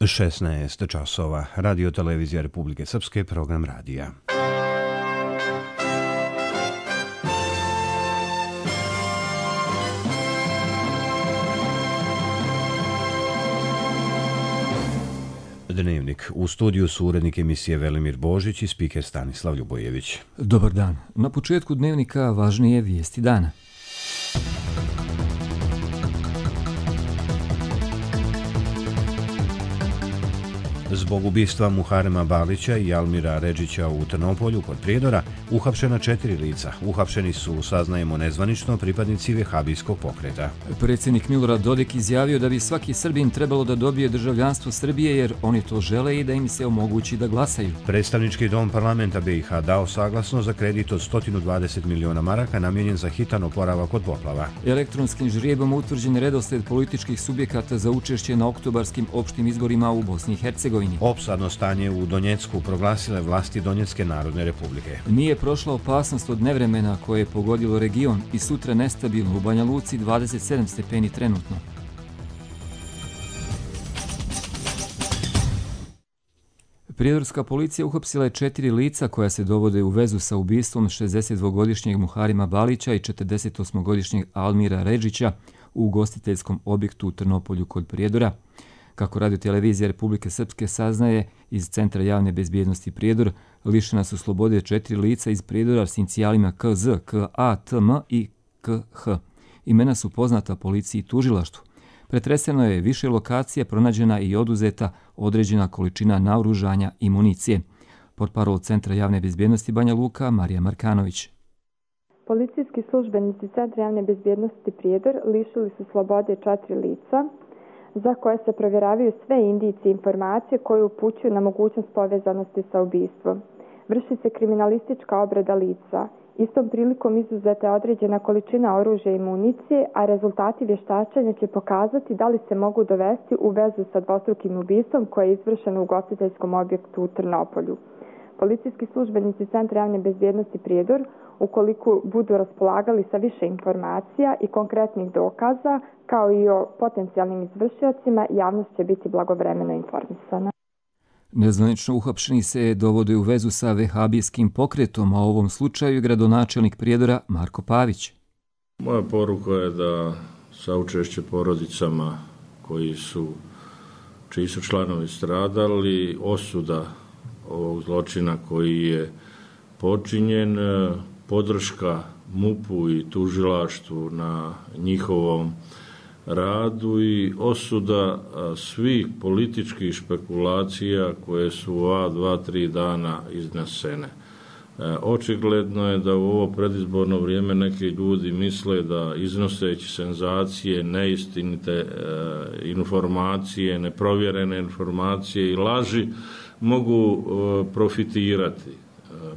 16 časova. Radio televizija Republike Srpske, program radija. Dnevnik. U studiju su urednik emisije Velimir Božić i spiker Stanislav Ljubojević. Dobar dan. Na početku dnevnika važnije vijesti dana. Zbog ubistva Muharema Balića i Almira Redžića u Trnopolju kod Prijedora uhapšena 4 lica. Uhapšeni su, saznajemo nezvanično, pripadnici vehabijskog pokreta. Predsjednik Milorad Dodik izjavio da bi svaki Srbin trebalo da dobije državljanstvo Srbije jer oni to žele i da im se omogući da glasaju. Predstavnički dom parlamenta BiH dao saglasnost za kredit od 120 miliona maraka namijenjen za hitan oporavak od poplava. Elektronskim žrijebom utvrđen redosled političkih subjekata za učešće na oktobarskim opštim izborima u Bosni i Hercegovini. Opsadno stanje u Donjecku proglasile vlasti Donjecke narodne republike. Nije prošla opasnost od nevremena koje je pogodilo region i sutra nestabilno u Banja Luci 27 stepeni trenutno. Prijedorska policija uhapsila je 4 lica koja se dovode u vezu sa ubistvom 62-godišnjeg Muharema Balića i 48-godišnjeg Almira Redžića u ugostiteljskom objektu u Trnopolju kod Prijedora. Kako radio televizija Republike Srpske saznaje iz Centra javne bezbjednosti Prijedor, lišena su slobode 4 lica iz Prijedora s inicijalima KZ, KA, TM i KH. Imena su poznata policiji i tužilaštvu. Pretreseno je više lokacija, pronađena i oduzeta određena količina naoružanja i municije. Portparol Centra javne bezbjednosti Banja Luka, Marija Markanović. Policijski službenici Centra javne bezbjednosti Prijedor lišili su slobode 4 lica, za koje se provjeravaju sve indicije i informacije koje upućuju na mogućnost povezanosti sa ubistvom. Vrši se kriminalistička obrada lica. Istom prilikom izuzeta je određena količina oružja i municije, a rezultati vještačenja će pokazati da li se mogu dovesti u vezu sa dvostrukim ubistvom koje je izvršeno u ugostiteljskom objektu u Trnopolju. Policijski službenici Centra javne bezbjednosti Prijedor, ukoliko budu raspolagali sa više informacija i konkretnih dokaza, kao i o potencijalnim izvršiocima, javnost će biti blagovremeno informisana. Nezvanično uhapšeni se dovode u vezu sa vehabijskim pokretom, a u ovom slučaju gradonačelnik Prijedora Marko Pavić. Moja poruka je da saučešće porodicama čiji su članovi stradali, osuda ovog zločina koji je počinjen, podrška MUP-u i tužilaštvu na njihovom radu i osuda svih političkih špekulacija koje su u 2-3 dana iznesene. Očigledno je da u ovo predizborno vrijeme neki ljudi misle da iznoseći senzacije, neistinite informacije, neprovjerene informacije i laži mogu profitirati.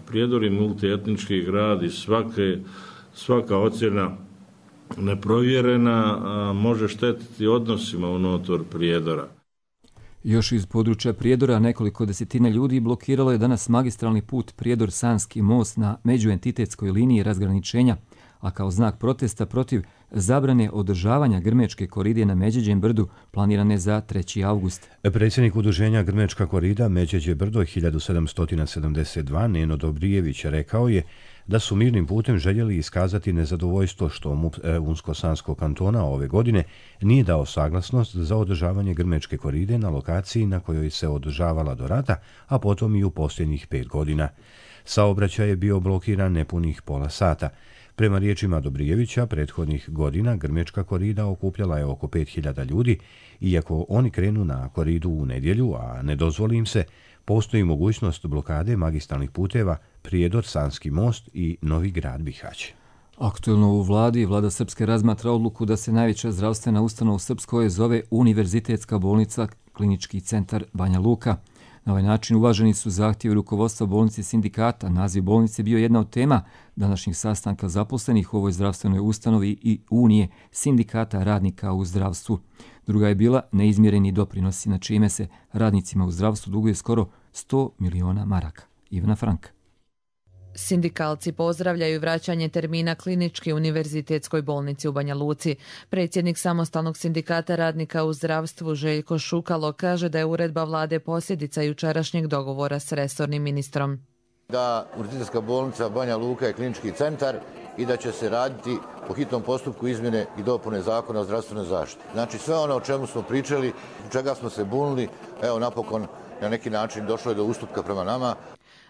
Prijedor je multietnički grad i svaka ocjena neprovjerena može štetiti odnosima unutar Prijedora. Još iz područja Prijedora nekoliko desetina ljudi blokiralo je danas magistralni put Prijedor-Sanski most na međuentitetskoj liniji razgraničenja, a kao znak protesta protiv zabrane održavanja Grmečke koride na Međeđem brdu planirane za 3. avgust. Predsjednik udruženja Grmečka korida Međeđe brdo 1772 Neno Dobrijević rekao je da su mirnim putem željeli iskazati nezadovoljstvo što MUP Unsko-Sanskog kantona ove godine nije dao saglasnost za održavanje Grmečke koride na lokaciji na kojoj se održavala do rata, a potom i u posljednjih 5 godina. Saobraćaj je bio blokiran nepunih pola sata. Prema riječima Dobrijevića, prethodnih godina Grmečka korida okupljala je oko 5000 ljudi, iako oni krenu na koridu u nedjelju, a ne dozvoli im se, postoji mogućnost blokade magistralnih puteva Prijedor, Sanski most i Novi Grad Bihać. Aktuelno u vladi, vlada Srpske razmatra odluku da se najveća zdravstvena ustanova u Srpskoj zove Univerzitetska bolnica Klinički centar Banja Luka. Na ovaj način uvaženi su zahtjevi rukovodstva bolnice sindikata. Naziv bolnice bio jedna od tema današnjih sastanka zaposlenih u ovoj zdravstvenoj ustanovi i Unije sindikata radnika u zdravstvu. Druga je bila neizmjereni doprinosi, na čime se radnicima u zdravstvu duguje skoro 100 miliona maraka. Ivana Frank. Sindikalci pozdravljaju vraćanje termina klinički univerzitetskoj bolnici u Banja Luci. Predsjednik samostalnog sindikata radnika u zdravstvu Željko Šukalo kaže da je uredba vlade posljedica jučerašnjeg dogovora s resornim ministrom. Da Univerzitetska bolnica Banja Luka je klinički centar i da će se raditi po hitnom postupku izmjene i dopune Zakona o zdravstvenoj zaštiti. Znači sve ono o čemu smo pričali, čega smo se bunili, evo napokon na neki način došlo je do ustupka prema nama.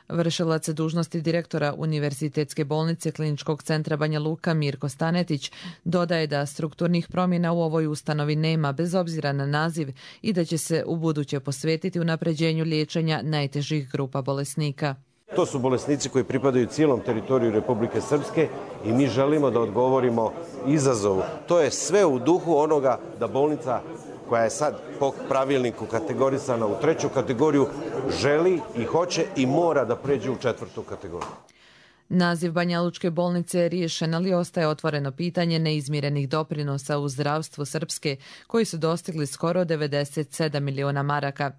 Vršilac dužnosti direktora Univerzitetske bolnice Kliničkog centra Banja Luka Mirko Stanetić dodaje da strukturnih promjena u ovoj ustanovi nema bez obzira na naziv i da će se ubuduće posvetiti unapređenju liječenja najtežih grupa bolesnika. To su bolesnici koji pripadaju cijelom teritoriju Republike Srpske i mi želimo da odgovorimo izazovu. To je sve u duhu onoga da bolnica koja je sad po pravilniku kategorisana u 3. kategoriju želi i hoće i mora da pređe u 4. kategoriju. Naziv Banjalučke bolnice je riješen, ali ostaje otvoreno pitanje neizmirenih doprinosa u zdravstvu Srpske, koji su dostigli skoro 97 miliona maraka.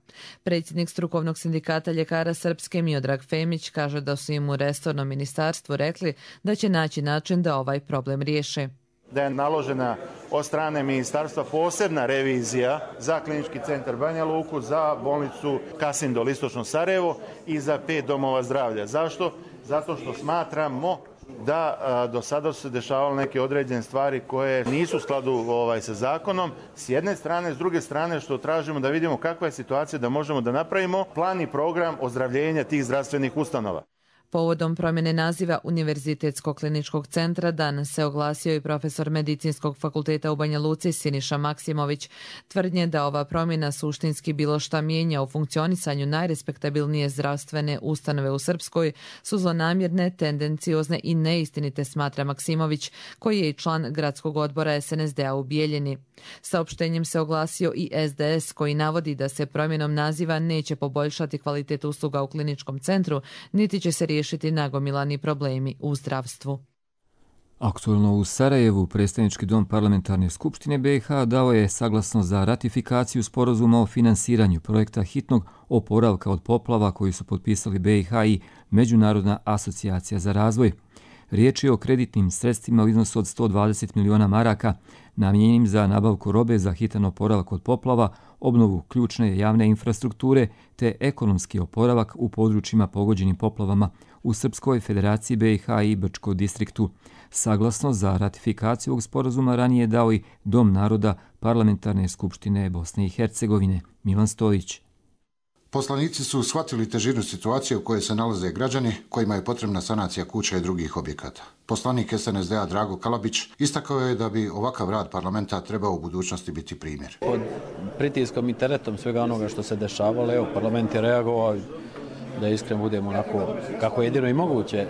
Predsjednik strukovnog sindikata ljekara Srpske Miodrag Femić kaže da su im u resornom ministarstvu rekli da će naći način da ovaj problem riješe. Da je naložena od strane ministarstva posebna revizija za klinički centar Banja Luku, za bolnicu Kasindol Istočno Sarajevo i za 5 domova zdravlja. Zašto? Zato što smatramo da do sada su se dešavale neke određene stvari koje nisu u skladu sa zakonom. S jedne strane, s druge strane što tražimo da vidimo kakva je situacija da možemo da napravimo plan i program ozdravljenja tih zdravstvenih ustanova. Povodom promjene naziva Univerzitetskog kliničkog centra danas se oglasio i profesor Medicinskog fakulteta u Banja Luci Siniša Maksimović. Tvrdnje da ova promjena suštinski bilo šta mijenja u funkcionisanju najrespektabilnije zdravstvene ustanove u Srpskoj su zlonamjerne, tendenciozne i neistinite, smatra Maksimović, koji je i član gradskog odbora SNSD-a u Bijeljini. Saopštenjem se oglasio i SDS, koji navodi da se promjenom naziva neće poboljšati kvalitet usluga u kliničkom centru, niti će se riješiti nagomilani problemi u zdravstvu. Aktualno u Sarajevu, predstavnički dom Parlamentarne skupštine BiH dao je saglasnost za ratifikaciju sporazuma o finansiranju projekta hitnog oporavka od poplava koji su potpisali BiH i Međunarodna asocijacija za razvoj. Riječ je o kreditnim sredstvima u iznosu od 120 miliona maraka, namijenjenim za nabavku robe za hitan oporavak od poplava, obnovu ključne javne infrastrukture te ekonomski oporavak u područjima pogođenim poplavama u Srpskoj Federaciji BiH i Brčko distriktu. Saglasnost za ratifikaciju ovog sporazuma ranije dao i Dom naroda Parlamentarne skupštine Bosne i Hercegovine. Milan Stojić. Poslanici su shvatili težinu situacije u kojoj se nalaze građani kojima je potrebna sanacija kuća i drugih objekata. Poslanik SNSD-a Drago Kalabić istakao je da bi ovakav rad parlamenta trebao u budućnosti biti primjer. Pod pritiskom i teretom svega onoga što se dešavalo, evo, parlament je reagovao, da iskreno budemo onako kako je jedino i moguće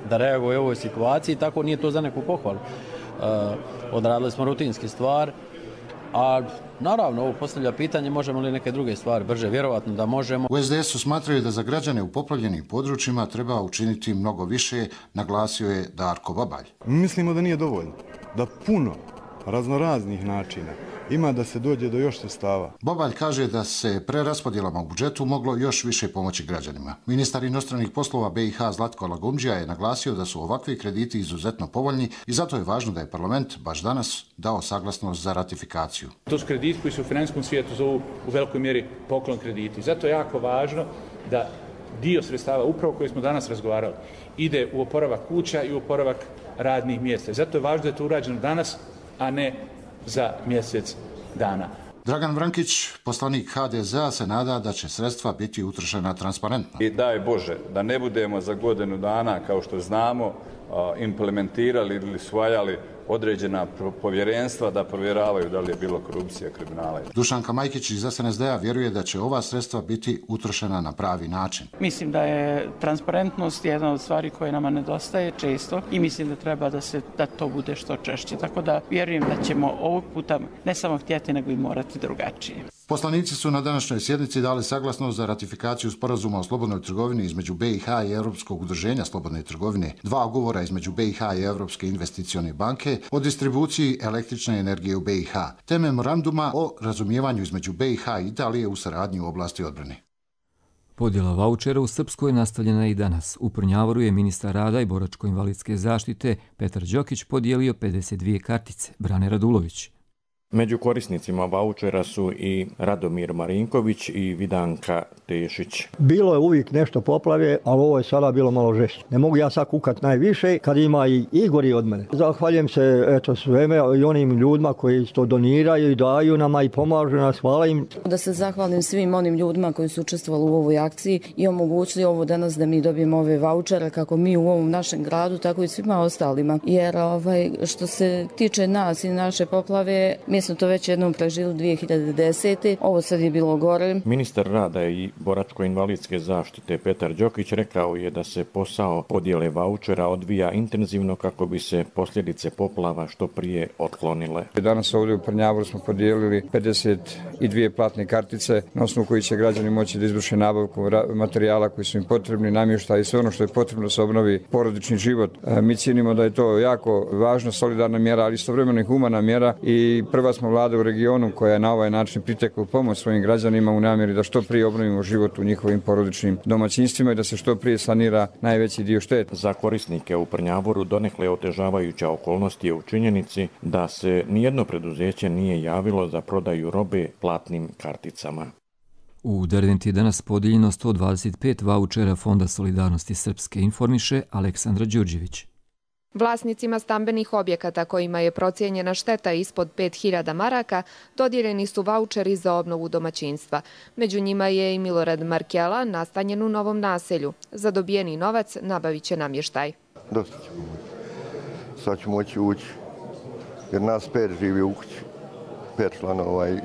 da reaguje u ovoj situaciji, tako nije to za neku pohvalu. Odradili smo rutinski stvar, a naravno ovo postavlja pitanje možemo li neke druge stvari brže, vjerovatno da možemo. U SDS-u smatraju da za građane u poplavljenim područjima treba učiniti mnogo više, naglasio je Darko Babalj. Mislimo da nije dovoljno, da puno raznoraznih načina ima da se dođe do još sredstava. Babalj kaže da se preraspodjelama u budžetu moglo još više pomoći građanima. Ministar inostranih poslova BiH Zlatko Lagumdžija je naglasio da su ovakvi krediti izuzetno povoljni i zato je važno da je parlament baš danas dao saglasnost za ratifikaciju. To su krediti koji se u finansijskom svijetu zovu u velikoj mjeri poklon krediti. Zato je jako važno da dio sredstava, upravo koji smo danas razgovarali, ide u oporavak kuća i u oporavak radnih mjesta. Zato je važno da je to urađeno danas, a ne za mjesec dana. Dragan Vrankić, poslanik HDZ-a, se nada da će sredstva biti utrošena transparentno. I daj Bože da ne budemo za godinu dana, kao što znamo, implementirali ili usvajali određena povjerenstva da provjeravaju da li je bilo korupcija, kriminala. Dušanka Majkić iz SNS-a vjeruje da će ova sredstva biti utrošena na pravi način. Mislim da je transparentnost jedna od stvari koje nama nedostaje često i mislim da treba da to bude što češće. Tako da vjerujem da ćemo ovog puta ne samo htjeti, nego i morati drugačije. Poslanici su na današnjoj sjednici dali saglasnost za ratifikaciju sporazuma o slobodnoj trgovini između BiH i Europskog udruženja slobodne trgovine, 2 ugovora između BiH i Europske investicione banke o distribuciji električne energije u BiH, te memoranduma o razumijevanju između BiH i Italije u saradnji u oblasti odbrane. Podjela vaučera u Srpskoj je nastavljena i danas. U Prnjavoru je ministar rada i boračko-invalidske zaštite Petar Đokić podijelio 52 kartice. Brane Radulović. Među korisnicima vaučera su i Radomir Marinković i Vidanka Tešić. Bilo je uvijek nešto poplave, ali ovo je sada bilo malo žešće. Ne mogu ja sad kukat najviše kad ima i Igori od mene. Zahvaljujem se sveme i onim ljudima koji to doniraju i daju nama i pomažu nas. Hvala im. Da se zahvalim svim onim ljudima koji su učestvovali u ovoj akciji i omogućili ovo danas da mi dobijemo ove vaučere kako mi u ovom našem gradu, tako i svima ostalima. Jer što se tiče nas i naše poplave, mi smo to već jednom prežili 2010. Ovo sad je bilo gore. Ministar rada i boračko-invalidske zaštite Petar Đokić rekao je da se posao podjele vaučera odvija intenzivno kako bi se posljedice poplava što prije otklonile. Danas ovdje u Prnjavoru smo podijelili 52 platne kartice na osnovu koji će građani moći da izvrše nabavku materijala koji su im potrebni, namještaj i sve ono što je potrebno da se obnovi porodični život. Mi cijenimo da je to jako važna, solidarna mjera, ali istovremeno i humana mjera i prva smo vlada u regionu koja je na ovaj način pritekla u pomoć svojim građanima u namjeri da što prije obnovimo život u njihovim porodičnim domaćinstvima i da se što prije sanira najveći dio šteta. Za korisnike u Prnjavoru donekle otežavajuća okolnost je u činjenici da se nijedno preduzeće nije javilo za prodaju robe platnim karticama. U Derventi je danas podijeljeno 125 vaučera Fonda solidarnosti Srpske, informiše Aleksandra Đurđević. Vlasnicima stambenih objekata kojima je procijenjena šteta ispod 5.000 maraka dodijeljeni su vaučeri za obnovu domaćinstva. Među njima je i Milorad Markela, nastanjen u Novom Naselju. Za dobijeni novac nabavit će namještaj. Dosta ćemo moći. Sad ću moći ući, jer nas 5 živi u kući. 5 članova i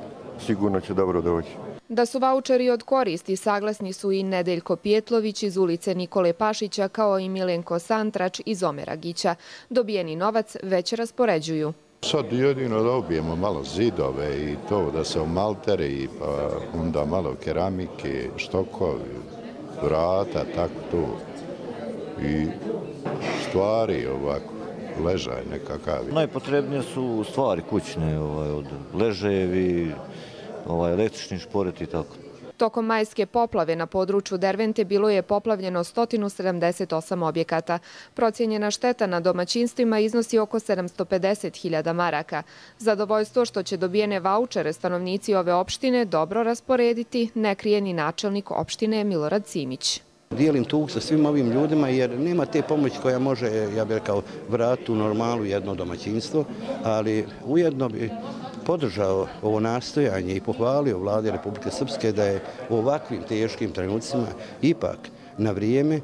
sigurno će dobro doći. Da su vaučeri od koristi saglasni su i Nedeljko Pijetlović iz ulice Nikole Pašića kao i Milenko Santrač iz Omeragića. Dobijeni novac već raspoređuju. Sad jedino dobijemo malo zidove i to da se omalteri, pa onda malo keramike, štokovi, vrata, tako to. I stvari ovako, ležaj nekakav. Najpotrebnije su stvari kućne, od ležajevi, električni šporet i tako. Tokom majske poplave na području Dervente bilo je poplavljeno 178 objekata. Procijenjena šteta na domaćinstvima iznosi oko 750.000 maraka. Zadovoljstvo što će dobijene vaučere stanovnici ove opštine dobro rasporediti ne krije ni načelnik opštine Milorad Simić. Dijelim tug sa svim ovim ljudima jer nema te pomoći koja može, ja bih rekao, vratiti u normalu jedno domaćinstvo, ali ujedno bi podržao ovo nastojanje i pohvalio vlade Republike Srpske da je u ovakvim teškim trenucima ipak na vrijeme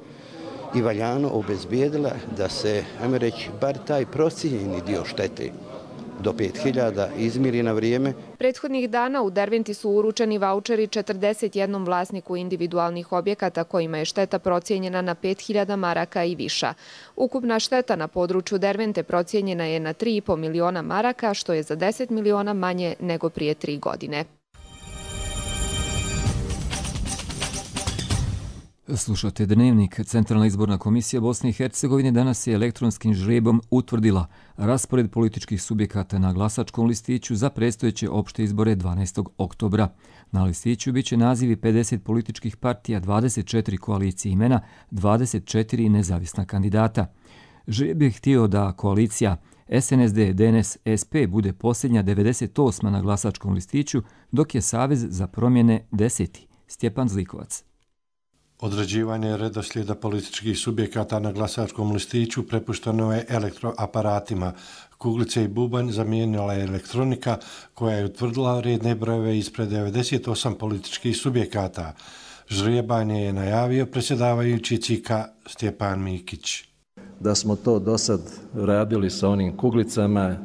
i valjano obezbijedila da se, ajmo reći, bar taj procijenjeni dio štete do 5.000 izmiri na vrijeme. Prethodnih dana u Derventi su uručeni vaučeri 41 vlasniku individualnih objekata kojima je šteta procijenjena na 5.000 maraka i viša. Ukupna šteta na području Dervente procijenjena je na 3,5 miliona maraka, što je za 10 miliona manje nego prije 3 godine. Slušate Dnevnik. Centralna izborna komisija Bosne i Hercegovine danas je elektronskim žrebom utvrdila raspored političkih subjekata na glasačkom listiću za predstojeće opšte izbore 12. oktobra. Na listiću biće nazivi 50 političkih partija, 24 koalicije imena, 24 nezavisna kandidata. Žreb je htio da koalicija SNSD, DNS, SP bude posljednja 98. na glasačkom listiću, dok je Savez za promjene 10. Stjepan Zlikovac. Određivanje redoslijeda političkih subjekata na glasačkom listiću prepušteno je elektroaparatima. Kuglice i bubanj zamijenila je elektronika koja je utvrdila redne brojeve ispred 98 političkih subjekata. Žrijebanje je najavio predsjedavajući CIK-a Stjepan Mikić. Da smo to do sad radili sa onim kuglicama,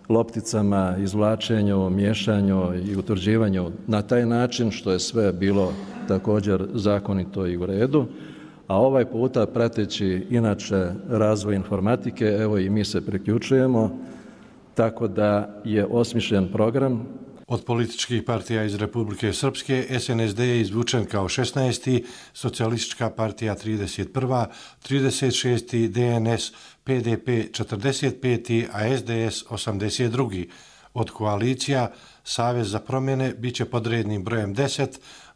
lopticama, izvlačenju, miješanju i utvrđivanju na taj način što je sve bilo također zakonito i u redu, a ovaj puta prateći inače razvoj informatike, evo i mi se priključujemo, tako da je osmišljen program. Od političkih partija iz Republike Srpske SNSD je izvučen kao 16. Socijalistička partija 31. 36. DNS, PDP 45. a SDS 82. Od koalicija Savez za promjene bit će pod rednim brojem 10,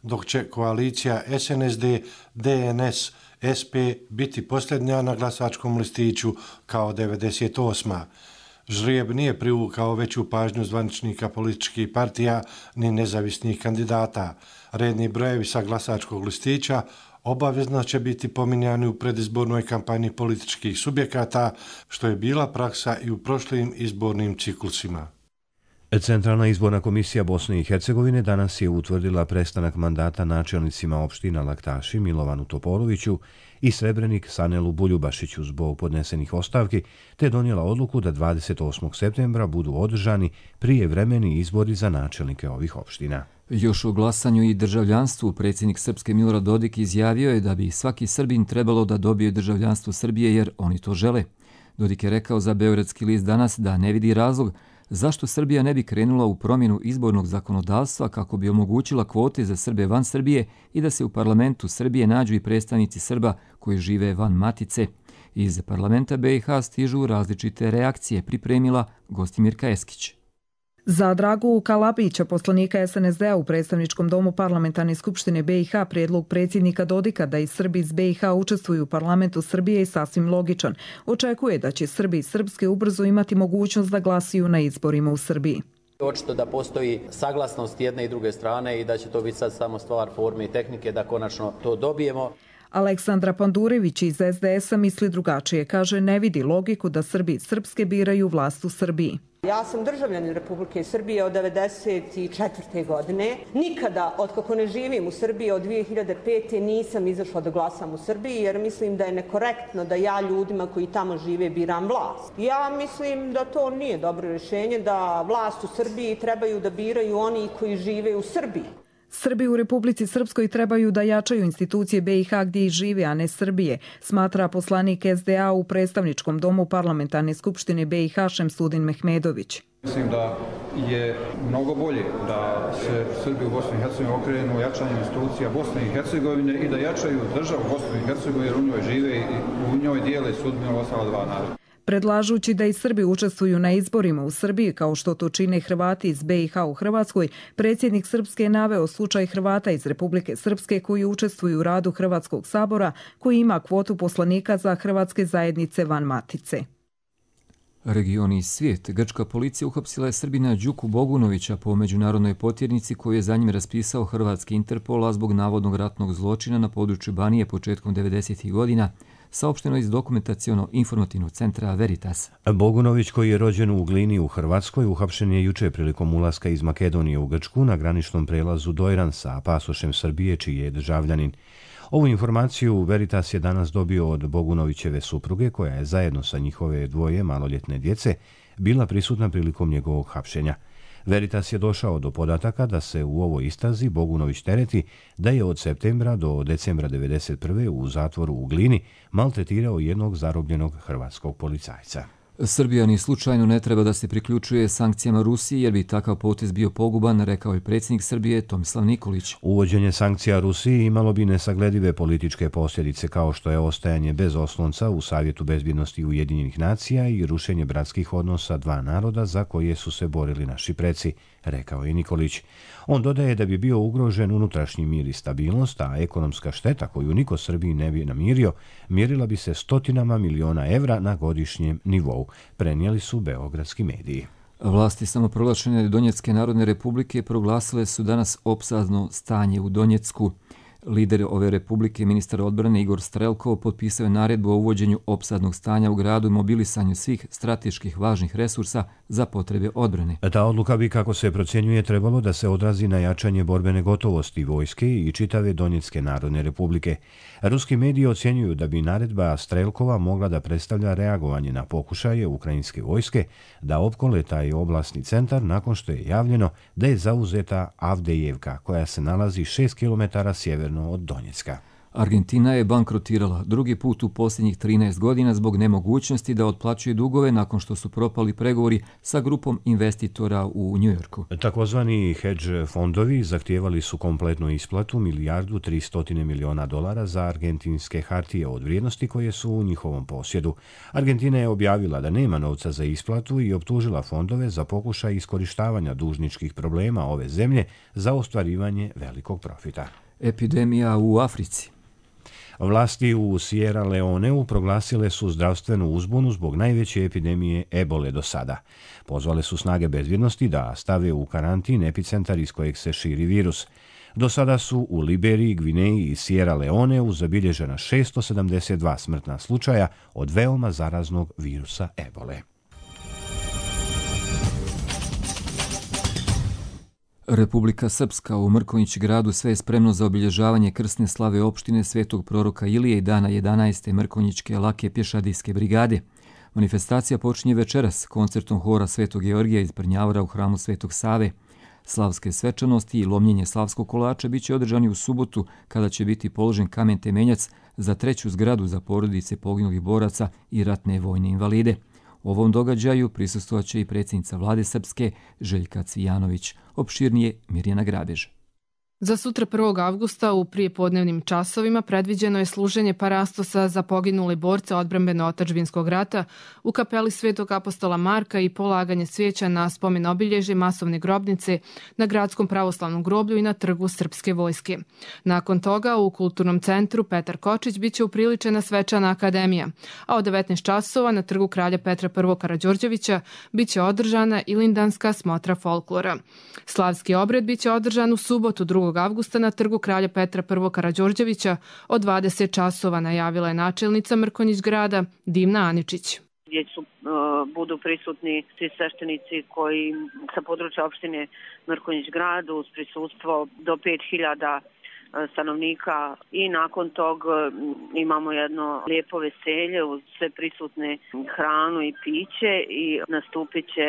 dok će koalicija SNSD, DNS, SP biti posljednja na glasačkom listiću kao 98. Žrijeb nije privukao veću pažnju zvaničnika političkih partija ni nezavisnih kandidata. Redni brojevi sa glasačkog listića obavezno će biti pominjani u predizbornoj kampanji političkih subjekata, što je bila praksa i u prošlim izbornim ciklusima. Centralna izborna komisija Bosne i Hercegovine danas je utvrdila prestanak mandata načelnicima opština Laktaši Milovanu Topoloviću i Srebrenik Sanelu Buljubašiću zbog podnesenih ostavki, te donijela odluku da 28. septembra budu održani prijevremeni izbori za načelnike ovih opština. Još o glasanju i državljanstvu predsjednik Srpske Milorad Dodik izjavio je da bi svaki Srbin trebalo da dobije državljanstvo Srbije jer oni to žele. Dodik je rekao za Beogradski list danas da ne vidi razlog zašto Srbija ne bi krenula u promjenu izbornog zakonodavstva kako bi omogućila kvote za Srbe van Srbije i da se u parlamentu Srbije nađu i predstavnici Srba koji žive van matice. Iz parlamenta BiH stižu različite reakcije, pripremila Gostimirka Eskić. Za Dragu Kalabića, poslanika SNSD-a u predstavničkom domu Parlamentarne skupštine BiH, prijedlog predsjednika Dodika da i Srbi iz BiH učestvuju u parlamentu Srbije je sasvim logičan. Očekuje da će Srbi iz Srpske ubrzo imati mogućnost da glasuju na izborima u Srbiji. Očito da postoji saglasnost jedne i druge strane i da će to biti sad samo stvar forme i tehnike da konačno to dobijemo. Aleksandra Pandurević iz SDS-a misli drugačije. Kaže, ne vidi logiku da Srbi iz Srpske biraju vlast u Srbiji. Ja sam državljanin Republike Srbije od 1994. godine. Nikada, otkako ne živim u Srbiji od 2005. nisam izašla da glasam u Srbiji jer mislim da je nekorektno da ja ljudima koji tamo žive biram vlast. Ja mislim da to nije dobro rješenje, da vlast u Srbiji trebaju da biraju oni koji žive u Srbiji. Srbi u Republici Srpskoj trebaju da jačaju institucije BiH gdje i žive, a ne Srbije, smatra poslanik SDA u predstavničkom domu Parlamentarne skupštine BiH Šemsudin Mehmedović. Mislim da je mnogo bolje da se Srbi u Bosni i Hercegovini okrenu jačanjem institucija Bosne i Hercegovine i da jačaju državu Bosne i Hercegovine jer u njoj žive i u njoj dijele sudbinu ostala dva naroda. Predlažući da i Srbi učestvuju na izborima u Srbiji kao što to čine Hrvati iz BiH u Hrvatskoj, predsjednik Srpske je naveo slučaj Hrvata iz Republike Srpske koji učestvuju u radu Hrvatskog sabora, koji ima kvotu poslanika za hrvatske zajednice van matice. Regioni i svijet. Grčka policija uhapsila je Srbina Đuku Bogunovića po međunarodnoj potjernici koju je za njim raspisao hrvatski Interpol, a zbog navodnog ratnog zločina na području Banije početkom 90. godina, saopšteno iz dokumentaciono-informativnog centra Veritas. Bogunović, koji je rođen u Glini u Hrvatskoj, uhapšen je juče prilikom ulaska iz Makedonije u Grčku na graničnom prelazu Dojran sa pasošem Srbije, čiji je državljanin. Ovu informaciju Veritas je danas dobio od Bogunovićeve supruge, koja je zajedno sa njihove dvoje maloljetne djece bila prisutna prilikom njegovog hapšenja. Veritas je došao do podataka da se u ovoj istrazi Bogunović tereti da je od septembra do decembra 1991. u zatvoru u Glini maltretirao jednog zarobljenog hrvatskog policajca. Srbija ni slučajno ne treba da se priključuje sankcijama Rusiji jer bi takav potez bio poguban, rekao je predsjednik Srbije Tomislav Nikolić. Uvođenje sankcija Rusiji imalo bi nesagledive političke posljedice kao što je ostajanje bez oslonca u Savjetu bezbjednosti Ujedinjenih nacija i rušenje bratskih odnosa dva naroda za koje su se borili naši preci, rekao je Nikolić. On dodaje da bi bio ugrožen unutrašnji mir i stabilnost, a ekonomska šteta koju niko Srbiji ne bi namirio mjerila bi se stotinama miliona evra na godišnjem nivou, prenijeli su beogradski mediji. Vlasti samoproglašene Donjecke narodne republike proglasile su danas opsadno stanje u Donjecku. Lider ove republike, ministar odbrane Igor Strelkov, potpisao je naredbu o uvođenju opsadnog stanja u gradu i mobilisanju svih strateških važnih resursa za potrebe odbrane. Ta odluka bi, kako se procjenjuje, trebalo da se odrazi na jačanje borbene gotovosti vojske i čitave Donjecke narodne republike. Ruski mediji ocjenjuju da bi naredba Strelkova mogla da predstavlja reagovanje na pokušaje ukrajinske vojske da opkole taj oblastni centar nakon što je javljeno da je zauzeta Avdejevka, koja se nalazi 6 km sjeverno od Donjecka. Argentina je bankrotirala drugi put u posljednjih 13 godina zbog nemogućnosti da otplaćuje dugove nakon što su propali pregovori sa grupom investitora u Njujorku. Takozvani hedge fondovi zahtijevali su kompletnu isplatu $1.3 milijardu za argentinske hartije od vrijednosti koje su u njihovom posjedu. Argentina je objavila da nema novca za isplatu i optužila fondove za pokušaj iskorištavanja dužničkih problema ove zemlje za ostvarivanje velikog profita. Epidemija u Africi. Vlasti u Sierra Leoneu proglasile su zdravstvenu uzbunu zbog najveće epidemije ebole do sada. Pozvale su snage bezbjednosti da stave u karantin epicentar iz kojeg se širi virus. Do sada su u Liberiji, Gvineji i Sierra Leoneu zabilježena 672 smrtna slučaja od veoma zaraznog virusa ebole. Republika Srpska u Mrkonjić gradu sve je spremno za obilježavanje krsne slave opštine Svetog proroka Ilije i dana 11. Mrkonjićke lake pješadijske brigade. Manifestacija počinje večeras koncertom hora Svetog Georgija iz Brnjavora u hramu Svetog Save. Slavske svečanosti i lomljenje slavskog kolača biće održani u subotu kada će biti položen kamen temeljac za 3. zgradu za porodice poginulih boraca i ratne vojne invalide. U ovom događaju prisustvovaće i predsjednica vlade Srpske Željka Cvijanović. Opširnije Mirjana Grabež. Za sutra 1. avgusta u prijepodnevnim časovima predviđeno je služenje parastosa za poginuli borce odbrambeno-otadžbinskog rata u kapeli Svetog apostola Marka i polaganje cvijeća na spomen obilježje masovne grobnice na gradskom pravoslavnom groblju i na trgu Srpske vojske. Nakon toga u kulturnom centru Petar Kočić biće upriličena svečana akademija, a od 19 časova na trgu kralja Petra I. Karađorđevića biće održana ilindanska smotra folklora. Slavski obred biće održan u subotu 2. avgusta na trgu kralja Petra I. Karađorđevića od 20 časova, najavila je načelnica Mrkonjić grada Dimna Aničić. Gdje budu prisutni svi sveštenici koji sa područja opštine Mrkonjić grad uz prisustvo do 5000 stanovnika i nakon tog imamo jedno lijepo veselje uz sve prisutne hranu i piće i nastupit će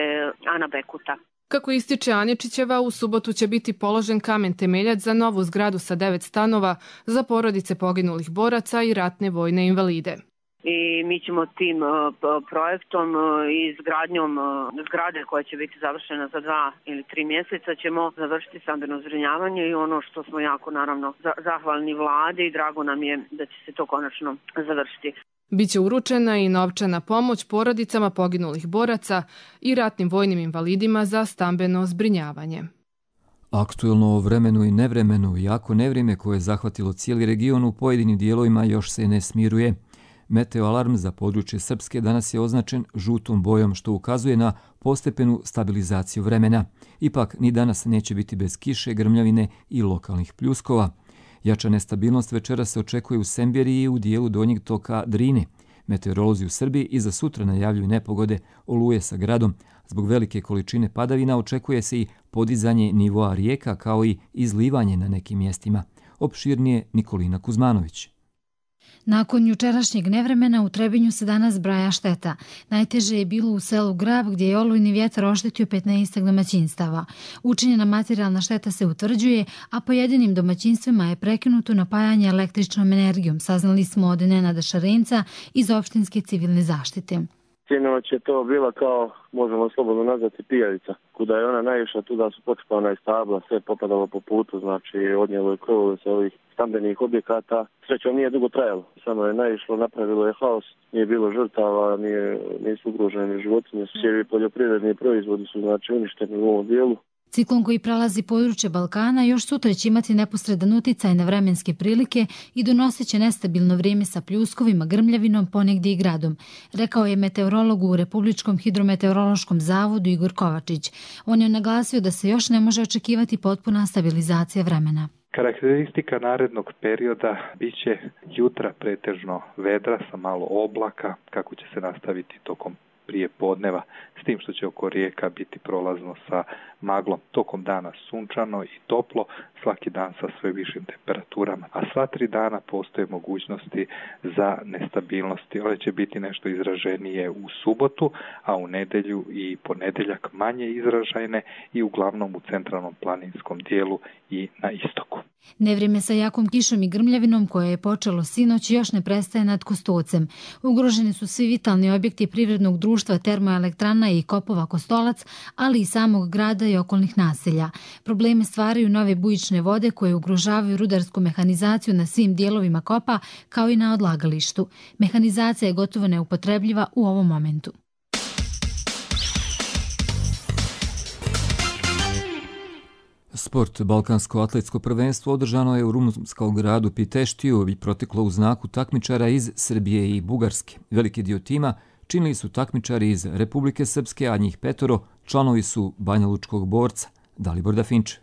Ana Bekuta. Kako ističe Aničićeva, u subotu će biti položen kamen temeljac za novu zgradu sa 9 stanova za porodice poginulih boraca i ratne vojne invalide. I mi ćemo tim projektom i izgradnjom zgrade koja će biti završena za 2 ili 3 mjeseca ćemo završiti stambeno zbrinjavanje i ono što smo jako naravno zahvalni vladi i drago nam je da će se to konačno završiti. Biće uručena i novčana pomoć porodicama poginulih boraca i ratnim vojnim invalidima za stambeno zbrinjavanje. Aktuelno o vremenu i nevremenu, jako nevrijeme koje je zahvatilo cijeli region u pojedinim dijelovima još se ne smiruje. Meteoalarm za područje Srpske danas je označen žutom bojom, što ukazuje na postepenu stabilizaciju vremena. Ipak ni danas neće biti bez kiše, grmljavine i lokalnih pljuskova. Jača nestabilnost večera se očekuje u Semberiji i u dijelu donjeg toka Drine. Meteorolozi u Srbiji i za sutra najavljuju nepogode, oluje sa gradom. Zbog velike količine padavina očekuje se i podizanje nivoa rijeka kao i izlivanje na nekim mjestima. Opširnije Nikolina Kuzmanović. Nakon jučerašnjeg nevremena u Trebinju se danas zbraja šteta. Najteže je bilo u selu Grab gdje je olujni vjetar oštetio 15 domaćinstava. Učinjena materijalna šteta se utvrđuje, a pojedinim domaćinstvima je prekinuto napajanje električnom energijom, saznali smo od Nenada Šarenca iz opštinske civilne zaštite. Sinoć je to bila kao, možemo slobodno nazvati, pijavica. Kuda je ona naišla, tuda su počepana i stabla, sve popadalo po putu, znači odnijelo je krovove sa ovih stambenih objekata. Srećom nije dugo trajalo, samo je naišlo, napravilo je haos, nije bilo žrtava, nisu ugroženi životinje, svi poljoprivredni proizvodi su znači uništeni u ovom dijelu. Ciklon koji prelazi područje Balkana još sutra će imati neposredan uticaj na vremenske prilike i donosit će nestabilno vrijeme sa pljuskovima, grmljavinom, ponegdje i gradom, rekao je meteorolog u Republičkom hidrometeorološkom zavodu Igor Kovačić. On je naglasio da se još ne može očekivati potpuna stabilizacija vremena. Karakteristika narednog perioda biće jutra pretežno vedra sa malo oblaka, kako će se nastaviti tokom prije podneva, s tim što će oko rijeka biti prolazno sa maglom. Tokom dana sunčano i toplo, svaki dan sa sve višim temperaturama, a sva 3 dana postoje mogućnosti za nestabilnosti. Ove će biti nešto izraženije u subotu, a u nedjelju i ponedjeljak manje izražajne i uglavnom u centralnom planinskom dijelu i na istoku. Nevrijeme sa jakom kišom i grmljavinom koje je počelo sinoć još ne prestaje nad Kostolcem. Ugroženi su svi vitalni objekti privrednog društva Termoelektrana i Kopova Kostolac, ali i samog grada i okolnih naselja. Probleme stvaraju nove bujične vode koje ugrožavaju rudarsku mehanizaciju na svim dijelovima kopa kao i na odlagalištu. Mehanizacija je gotovo neupotrebljiva u ovom momentu. Sport Balkansko atletsko prvenstvo održano je u rumunskom gradu Piteštiju i proteklo u znaku takmičara iz Srbije i Bugarske. Veliki dio tima činili su takmičari iz Republike Srpske, a njih 5 članovi su banjalučkog borca Dalibor Dafinče.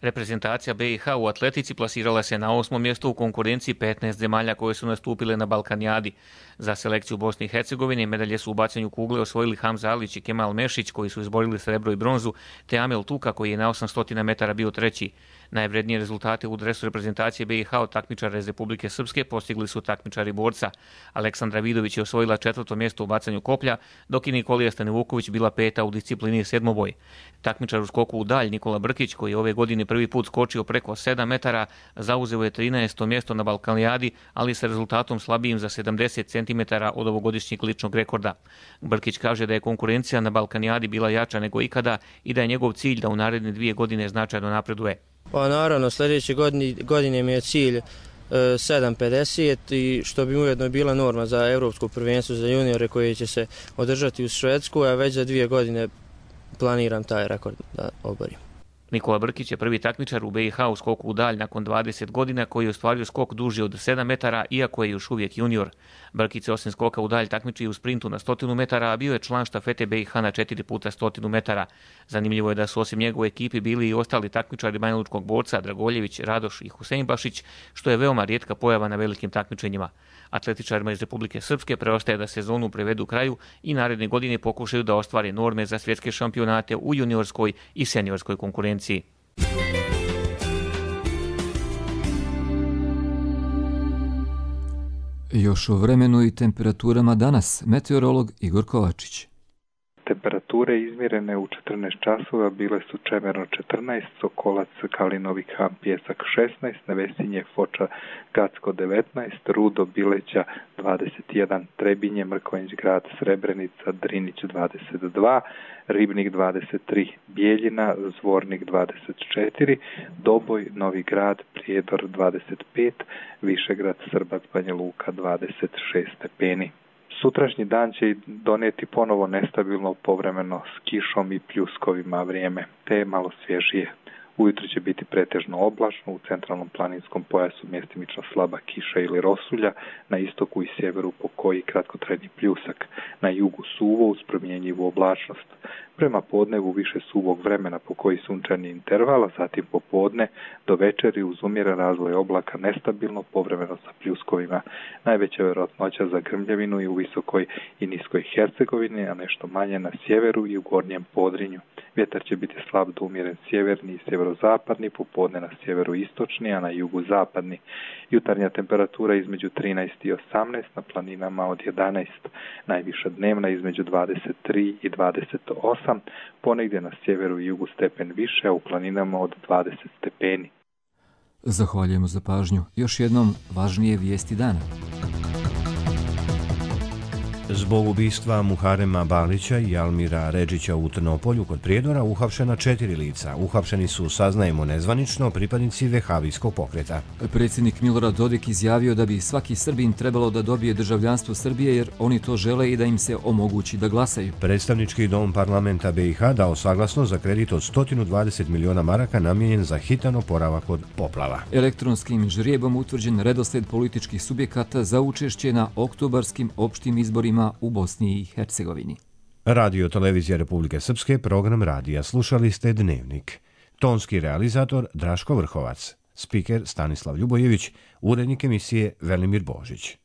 Reprezentacija BiH u atletici plasirala se na 8. mjestu u konkurenciji 15 zemalja koje su nastupile na Balkanijadi. Za selekciju Bosne i Hercegovine medalje su u bacanju kugle osvojili Hamza Alić i Kemal Mešić koji su izborili srebro i bronzu, te Amel Tuka koji je na 800 metara bio 3. Najvrednije rezultate u dresu reprezentacije BiH od takmičara iz Republike Srpske postigli su takmičari borca. Aleksandra Vidović je osvojila 4. mjesto u bacanju koplja, dok je Nikolija Stanivuković bila 5. u disciplini sedmoboj. Takmičar u skoku u dalj Nikola Brkić, koji je ove godine prvi put skočio preko 7 metara, zauzeo je 13. mjesto na Balkanijadi, ali sa rezultatom slabijim za 70 cm od ovogodišnjeg ličnog rekorda. Brkić kaže da je konkurencija na Balkanijadi bila jača nego ikada i da je njegov cilj da u naredne 2 godine značajno napreduje. Pa naravno, sljedeće godine mi je cilj 7.50 i što bi ujedno bila norma za Europsko prvenstvo za juniore koje će se održati u Švedsku, a već za 2 godine planiram taj rekord da oborim. Nikola Brkić je prvi takmičar u BiH u skoku u dalj nakon 20 godina koji je ostvario skok duži od 7 metara, iako je još uvijek junior. Brkić se osim skoka u dalj takmiči u sprintu na 100 metara, a bio je član štafete BiH na 4 puta 100 metara. Zanimljivo je da su osim njegove ekipi bili i ostali takmičari banjalučkog borca Dragoljević, Radoš i Huseinbašić, što je veoma rijetka pojava na velikim takmičenjima. Atletičarima iz Republike Srpske preostaje da sezonu prevedu kraju i naredne godine pokušaju da ostvare norme za svjetske šampionate u juniorskoj i seniorskoj konkurenciji. Još o vremenu i temperaturama danas, meteorolog Igor Kovačić. Temperature izmjerene u 14 časova bile su Čemerno 14, Sokolac, Kalinovi Ham, Pjesak 16, Nevesinje, Foča, Gacko 19, Rudo, Bileća 21, Trebinje, Mrkonjić grad, Srebrenica, Drinić 22, Ribnik 23, Bijeljina, Zvornik 24, Doboj, Novi grad, Prijedor 25, Višegrad, Srbac, Banja Luka 26 stepeni. Sutrašnji dan će donijeti ponovo nestabilno povremeno s kišom i pljuskovima vrijeme, te malo svježije. Ujutro će biti pretežno oblačno, u centralnom planinskom pojasu mjestimično slaba kiša ili rosulja, na istoku i sjeveru pokoji kratkotrajni pljusak, na jugu suvo uz promjenjivu oblačnost. Prema podnevu više suvog vremena pokoji sunčani interval, a zatim popodne do večeri uz umjeren razvoj oblaka nestabilno povremeno sa pljuskovima. Najveća vjerojatnoća za grmljavinu i u visokoj i niskoj Hercegovini, a nešto manje na sjeveru i u gornjem Podrinju. Vjetar će biti slab do umjeren sjeverni i sjeverozapadni, popodne na sjeveru istočni, a na jugu zapadni. Jutarnja temperatura između 13 i 18, na planinama od 11, najviša dnevna između 23 i 28, ponegdje na sjeveru i jugu stepen više, a u planinama od 20 stepeni. Zahvaljujemo za pažnju. Još jednom važnije vijesti dana. Zbog ubistva Muharema Balića i Almira Redžića u Trnopolju kod Prijedora uhapšena 4 lica. Uhapšeni su, saznajemo nezvanično, pripadnici vehavijskog pokreta. Predsjednik Milorad Dodik izjavio da bi svaki Srbin trebalo da dobije državljanstvo Srbije jer oni to žele i da im se omogući da glasaju. Predstavnički dom parlamenta BiH dao saglasnost za kredit od 120 miliona maraka namijenjen za hitan oporavak od poplava. Elektronskim žrijebom utvrđen redosled političkih subjekata za učešće na oktobarskim opštim izborima u Bosni i Hercegovini. Radio Televizija Republike Srpske, program radija. Slušali ste Dnevnik. Tonski realizator Draško Vrhovac. Spiker Stanislav Ljubojević. Urednik emisije Velimir Božić.